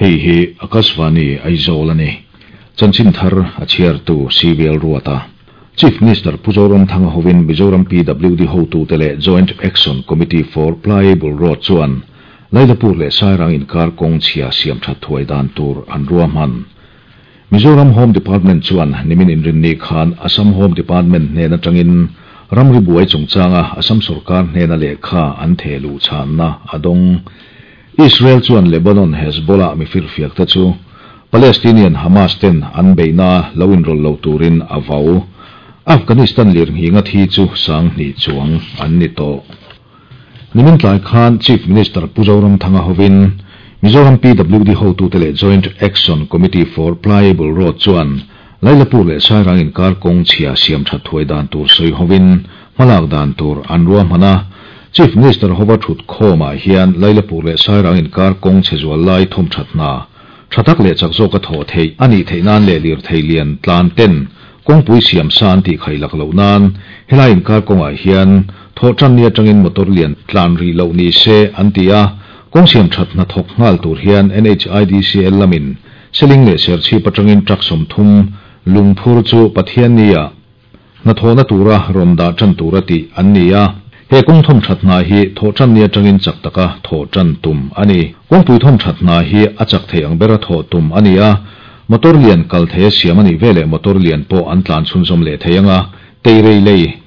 Hei hi Akashvani Aizawl a ni. Chanchin thar a chhiartu CVL Ruata. Chief Minister Pu Zoramthanga hovin Mizoram PWD hotute leh Joint Action Committee for Pliable Road chuan Lailapur leh Sairang inkar kawng chhia siam that thuai dan tur an ruahman. Mizoram Home Department chuan nimin inrinni khan Assam Home Department hnen atangin ramri buai chungchanga Assam sorkar hnena lehkha an theh luh chhanna a dawng. Israel chuan Lebanon Hezbollah mi firfiakte chu Palestinian Hamas ten an beihna lo inrawlh lo turin a vau. Afghanistan lirnghinga thi chu 2000 chuang an ni tawh. Nimin tlai khan Chief Minister Pu Zoramthanga hovin Mizoram PWD hotute leh Joint Action Committee for Pliable Road chuan Lailapur leh Sairang inkar kawng chhia siam that thuai dan tur sawi hovin hmalak dan tur an ruahman a. Chief Minister hova thut khawmah hian Lailapur leh Sairang inkar kawng chhe zual lai thawm that hna tha tak leh chak zawk a thawh theih a nih theih nan leh lirthei lian tlan ten kawngpui siam sa an tih khaih lak loh nan helai inkar kawngah hian thawh tan ni atangin motor lian tlan rih loh ni se an ti a. Kawng siam that hna thawk nghal tur hian NHIDCL lamin Seling leh Serchhip atangin truck 30 lungphur chu Pathian ni a hna thawhna tura rawn dah tan tura tih an ni a. He kawng thawm that hna hi thawh tan ni atangin chak taka thawh tan tum a ni. Kawngpui thawm that hna hi a chak thei ang bera thawh tum a ni a. Motor lian kal thei a siam a nih veleh motor lian pawh an tlan chhunzawm leh thei anga. Teirei lei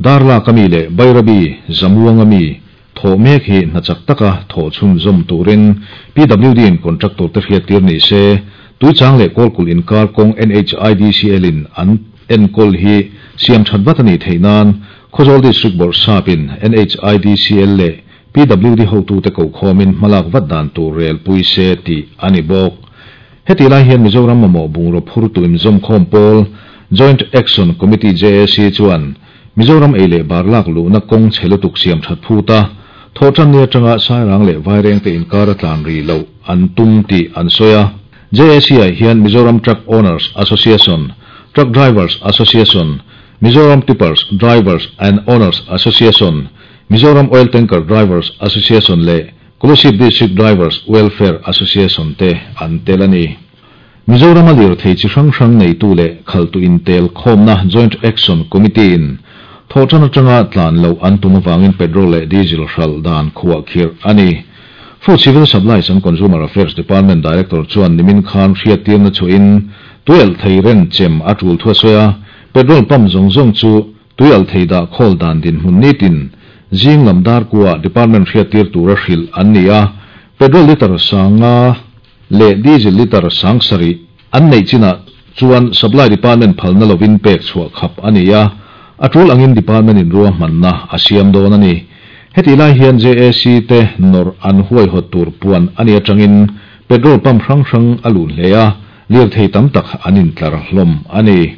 Darlak ami leh Bairabi Zamuang ami thawh mek hi hna chak taka thawh chhunzawm turin PWD in contractor te hriat tir ni se. Tuichang leh Kawlkulh inkar kawng NHIDCL in an enkawl hi siam that vat a nih theih nan Khawzawl District Bawrhsapin NHIDCL leh PWD hotute ko khawmin hmalak vat dan tur rel pui se tih a ni bawk. Heti lai hian Mizoram mamawh bungraw phur tuim zawm khawm pawl Joint Action Committee JAC chuan Mizoram ei leh bar lak luhna kawng chhe lutuk siam that phuta thawh tan ni atanga Sairang leh Vaireng te inkar a tlan ri lo an tum tih an sawi a. JAC ah hian Mizoram Truck Owners Association, Truck Drivers Association, Mizoram Tippers Drivers and Owners Association, Mizoram Oil Tanker Drivers Association leh Kolasib District Drivers Welfare Association te an tel a ni. Mizoram a lirthei chi hrang hrang neitu leh khaltu intel khawmna Joint Action Committee in thawh tan atanga tlan lo an tum awangin petrol leh diesel hral dan khuah khirh a ni. Food Civil Supplies and Consumer Affairs Department Director chuan nimin khan hriat tirna chuin tuialh thei ren chem a tul thua sawi a. Petrol pump zawng zawng chu tuialh thei dah khawl dan din hmun nitin zing lam dar kuwa department hriat tir tura hrilh an ni a. Petrol liter 500 leh diesel liter 7000 an nei china chuan supply department phalna lovin pek chhuah khap a ni a. A tul angin department in ruahmanna a siam dawn a ni. Heti lai hian JAC te nawrh an huaihawt tur puan a ni atangin petrol pump hrang hrang a lun hle a, lirthei tam tak an intlar hlawm a ni.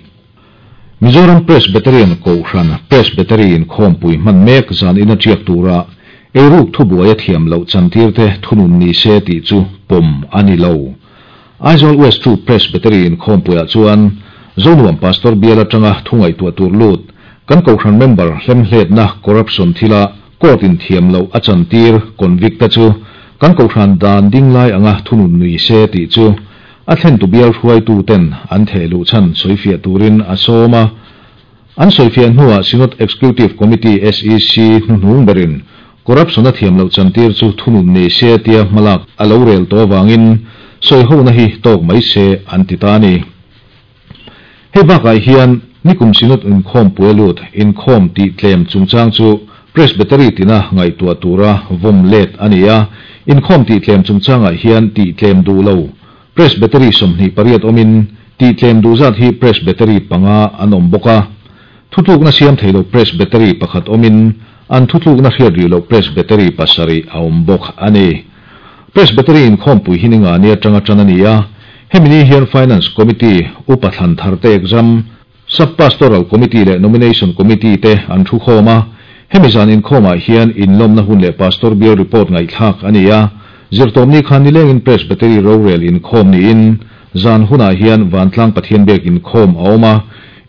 Mizoram Presbyterian Kohhran Presbytery inkhawmpui hman mek zan in a tiak tura eiruk thubuai a thiam loh chantir te thunun ni se tih chu pawm a ni lo. Aizawl West 2 Presbytery inkhawmpuiah chuan Zonuam Pastor bial atanga thungaihtuah tur lut kan Kohhran member hlemhletna corruption thila court in thiam loh a chantir convict te chu kan Kohhran dan ding lai anga thunun nui se tih chu a thlen tu bial hruaitu ten an theh luh chan sawifiah turin a sawm a. An sawifiah hnuah Synod Executive Committee SEC hnuhnung berin corruption a thiam loh chantir chu thunun ni se tia hmalak a lo rel tawh awangin sawi hona hi tawk mai se an ti ta a ni. Hei bakah hian nikum Synod inkhawm pui a lut inkhawm tih tlem chungchang chu Presbytery tina ngaihtuah tura vawm let a ni a. Inkhawm tih tlem chungchangah hian tih tlem duh lo Presbytery 28 awmin tih tlem duh zat hi Presbytery 5 an awm bawk a. Thutlukna siam thei lo Presbytery 1 awmin an thutlukna hriat rih lo Presbytery 7 a awm bawk a ni. Presbytery inkhawmpui hi ninga ni atanga tan a ni a. Hemi ni hian Finance Committee upa thlan thar te exam Sub-Pastoral Committee leh Nomination Committee te an thu khawm a. Hemi zan inkhawmah hian inlawmna hun leh Pastor bial report ngaihthlak a ni a. Zirtawm ni khan nilengin Presbytery rorel inkhawm niin zan hunah hian Vantlang Pathian biak inkhawm a awm a.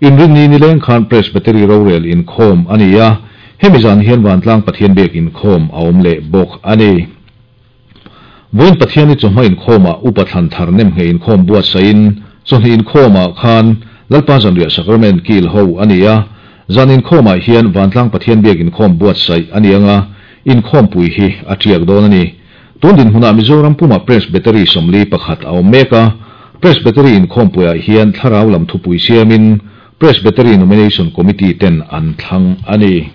Inrin ni nileng khan Presbytery rorel inkhawm a ni a. Hemi zan hian Vantlang Pathian biak inkhawm a awm leh bawk a ni. Vawiin Pathianni chawhma inkhawmah Upa Thlan Thar Nemngheh inkhawm buatsaihin chawhni inkhawmah khan Lalpa Zanriah Sacrament kil ho a ni a. Zan inkhawmah hian Vantlang Pathian Biak inkhawm buatsaih a ni anga, inkhawmpui hi a tiak dawn a ni. Tun dinhmunah Mizoram pumah Presbytery 41 a awm mek a, Presbytery inkhawmpuiah hian thlarau lam thupui siamin Presbytery Nomination Committee ten an thlang a ni.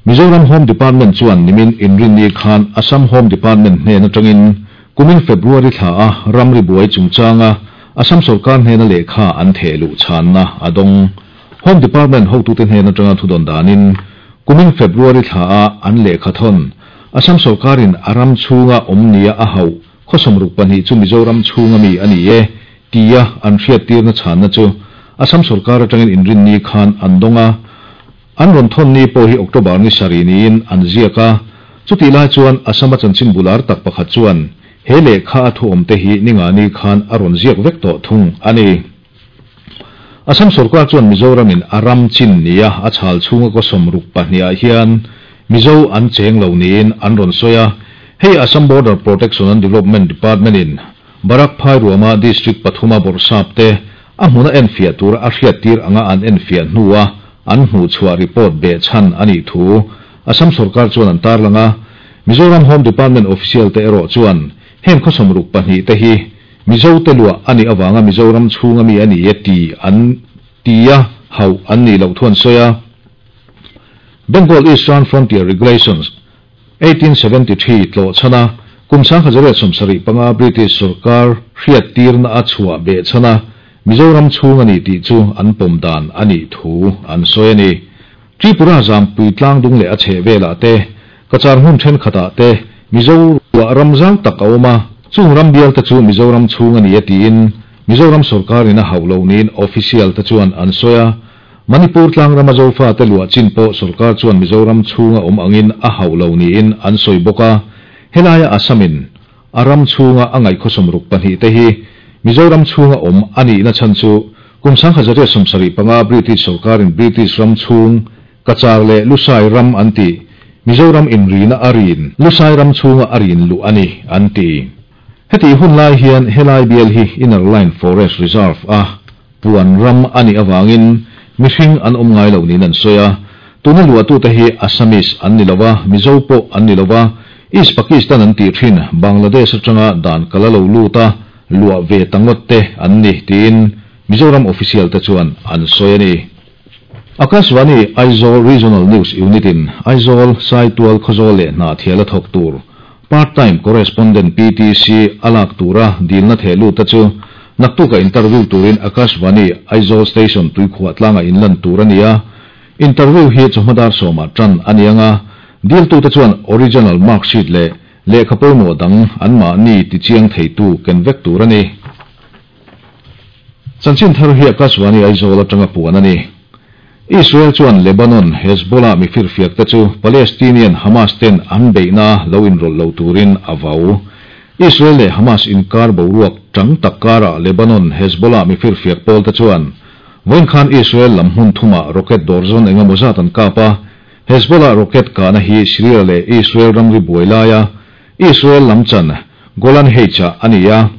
Mizoram Home Department chuan nimin Inrinni khan Assam Home Department hnen atangin kumin February thla a ramri buai chungchanga Assam sorkar hnena lehkha an theh luh chhanna a dawng. Home Department hotute hnen atanga thudawn danin kumin February thla a an lehkha thawn Assam sorkarin a ram chhunga awm nia a hauh khaw 62 chu Mizoram chhunga mi a ni e tia an hriattirna chhanna chu Assam sorkar atangin Inrinni khan an dawng a. An rawn thawn ni pawh hi October ni sarih niin an ziak a, chutih lai chuan Assam-a chanchin bular tak pakhat chuan he lehkha a thu awmte hi ningani khan a rawn ziak vek tawh thung a ni. Assam sorkar chuan Mizoramin a ram chin nia a chhal chhunga kaw 62 ah hian Mizo an cheng lo niin an rawn sawi a, hei Assam Border Protection and Development Department-in Barak Phairuama District pathuma bawrhsap te a hmuna enfiah tura a hriattir anga an enfiah hnua an hmuhchhuah report behchhan a nih thu Assam sorkar chuan an tarlang a. Mizoram Home Department official te erawh chuan heng khaw 62 te hi Mizo te luah a nih avanga Mizoram chhunga mi a ni e ti an ti a, hauh an nih loh thu an sawi a. Bengal Eastern Frontier Regulations, 1873 tlawh chhan a, kum 1875 British sorkar hriattirna a chhuah behchhan a, Mizoram chhung a ni tih chu an pawm dan a nih thu an sawi a ni. Tripura Zampui tlangdung leh a chheh velah te, Cachar hmun thenkhatah te Mizo ruah ram zau tak a awm a, chung ram bial te chu Mizoram chhung a ni e tiin Mizoram sorkarin a hauh loh niin official te chuan an sawi a. Manipur tlangrama Zofa te luah chin pawh sorkar chuan Mizoram chhunga awm angin a hauh lo niin an sawi bawk a, helaia Assamin a ram chhunga a ngaih khaw 62 te hi Mizoram chhunga awm a nihna chhan chu kum 1975 British sorkarin British ram chhung Cachar leh Lusai ram an tih Mizoram inrina a rin Lusai ram chhunga a rin luh a ni an ti. Hetih hun lai hian helai bial hi Inner Line Forest Reserve a puan ram a nih avangin mihring an awm ngai lo niin an sawi a. Tuna luahtute hi Assamese an ni lo a, Mizo pawh an ni lo a, East Pakistan an tih thin Bangladesh atanga dan kal a lo lut a, luah ve ta ngawt te an ni tiin Mizoram official te chuan an sawi a ni. Akashvani Aizawl Regional News Unit in Aizawl, Saitual, Khawzawl leh Hnahthial a thawk tur Part Time Correspondent, PTC, a lak tura dilna theh lut te chu naktuka interview turin Akashvani Aizawl Station tuikhuah tlanga inlan tur a ni a. Interview hi chawhma dar sawmah tan a ni anga, diltute chuan original mark sheet leh lehkha pawimawh dang anmahni tichiang theitu ken vek tur a ni. Chanchin thar hi Akashvani Aizawl atanga puan a ni. Israel chuan Lebanon Hezbollah mi firfiak te chu Palestinian Hamas ten an beihna lo inrawlh lo turin a vau. Israel leh Hamas inkar boruak tang tak karah Lebanon Hezbollah mi firfiak pawl te chuan vawiin khan Israel lam hmun thumah rocket dawrzawn engemaw zat an kap a. Hezbollah rocket kahna hi Syria leh Israel ramri buai laia Israel lam chan Golan Heights-ah a ni a.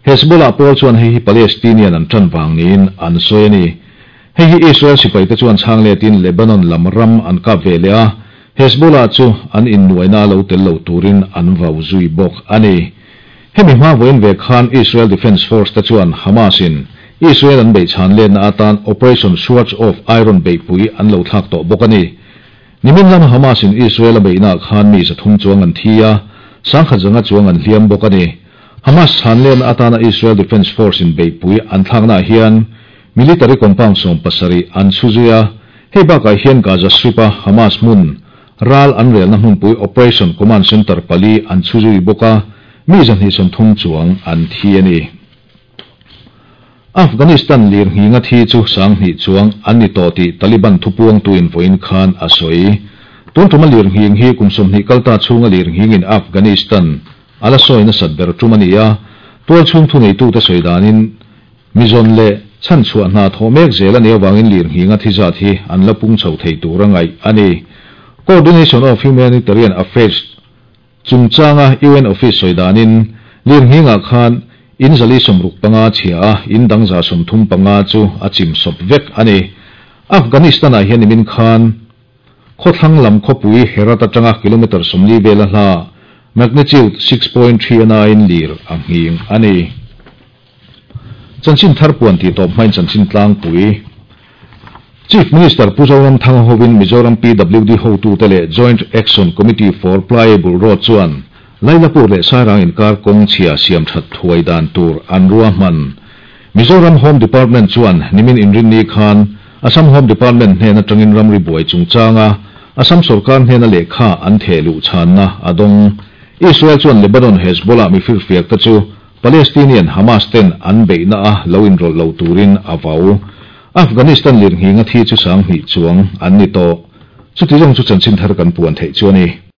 Hezbollah pawl chuan hei hi Palestinian an tan vang niin an sawi a ni. Hei hi Israel sipaite chuan chhang letin Lebanon lam ram an kap ve leh a, Hezbollah chu an innuaina lo tel lo turin an vau zui bawk a ni. Hemi hma vawiin ve khan Israel Defence Force te chuan Hamas in Israel an beih chhan letna atan Operation Swords of Iron beihpui an lo thlak tawh bawk a ni. Nimin lama Hamas in Israel a beihnaah khan mi 300 chuang an thi a, 10,100 chuang an hliam bawk a ni. Hamas chhan letna atana Israel Defence Force in beihpui an thlaknaah hian military compound 17 an chhu zui a, hei bakah hian Gaza Strip a Hamas hmun ral an relna hmunpui Operation Command Center pali an chhu zui bawk a, mi 230 chuang an thi a ni. Afghanistan lirnghinga thi chu 2000 chuang an ni tawh tih Taliban thupuangtuin vawiin khan a sawi. Tun tuma lirnghing hi kum 20 kalta chhunga lirnghingin Afghanistan a la sawi nasat ber tum a ni a, tual chhung thu neitute sawi danin mizawn leh chhan chhuah hna thawh mek zel a nih avangin lirnghinga thi zat hi an la pung chho thei tur a ngaih a ni. Coordination of Humanitarian Affairs. Chungchanga UN office sawi danin, lirnghingah khan in 465 chhia a, in dang 135 chu a chim sawp vek a ni. Afghanistan-ah hian nimin khan khawthlang lam khawpui Herat atanga kilometre 40 vela hla magnitude 6.3 a nain lir a nghing a ni. Chanchin thar puan tih tawp hmain chanchin tlangpui Chief Minister Pu Zoramthanga hovin Mizoram PWD hotute leh Joint Action Committee for Pliable Road chuan Lailapur leh Sairang inkar kawng chhia siam that thuai dan tur an ruahman. Mizoram Home Department chuan nimin inrinni khan Assam Home Department hnen atangin ramri buai chungchanga Assam sorkar hnena lehkha an theh luh chhanna a dawng. Israel chuan Lebanon Hezbollah mifirfiak te chu Palestinian Hamas ten an beihna a lo inrawlh lo turin a vau. Afghanistan lirnghinga thi chu 2000 chuang an ni tawh. Chuti zawng chu chanchin thar kan puan theih chu a ni.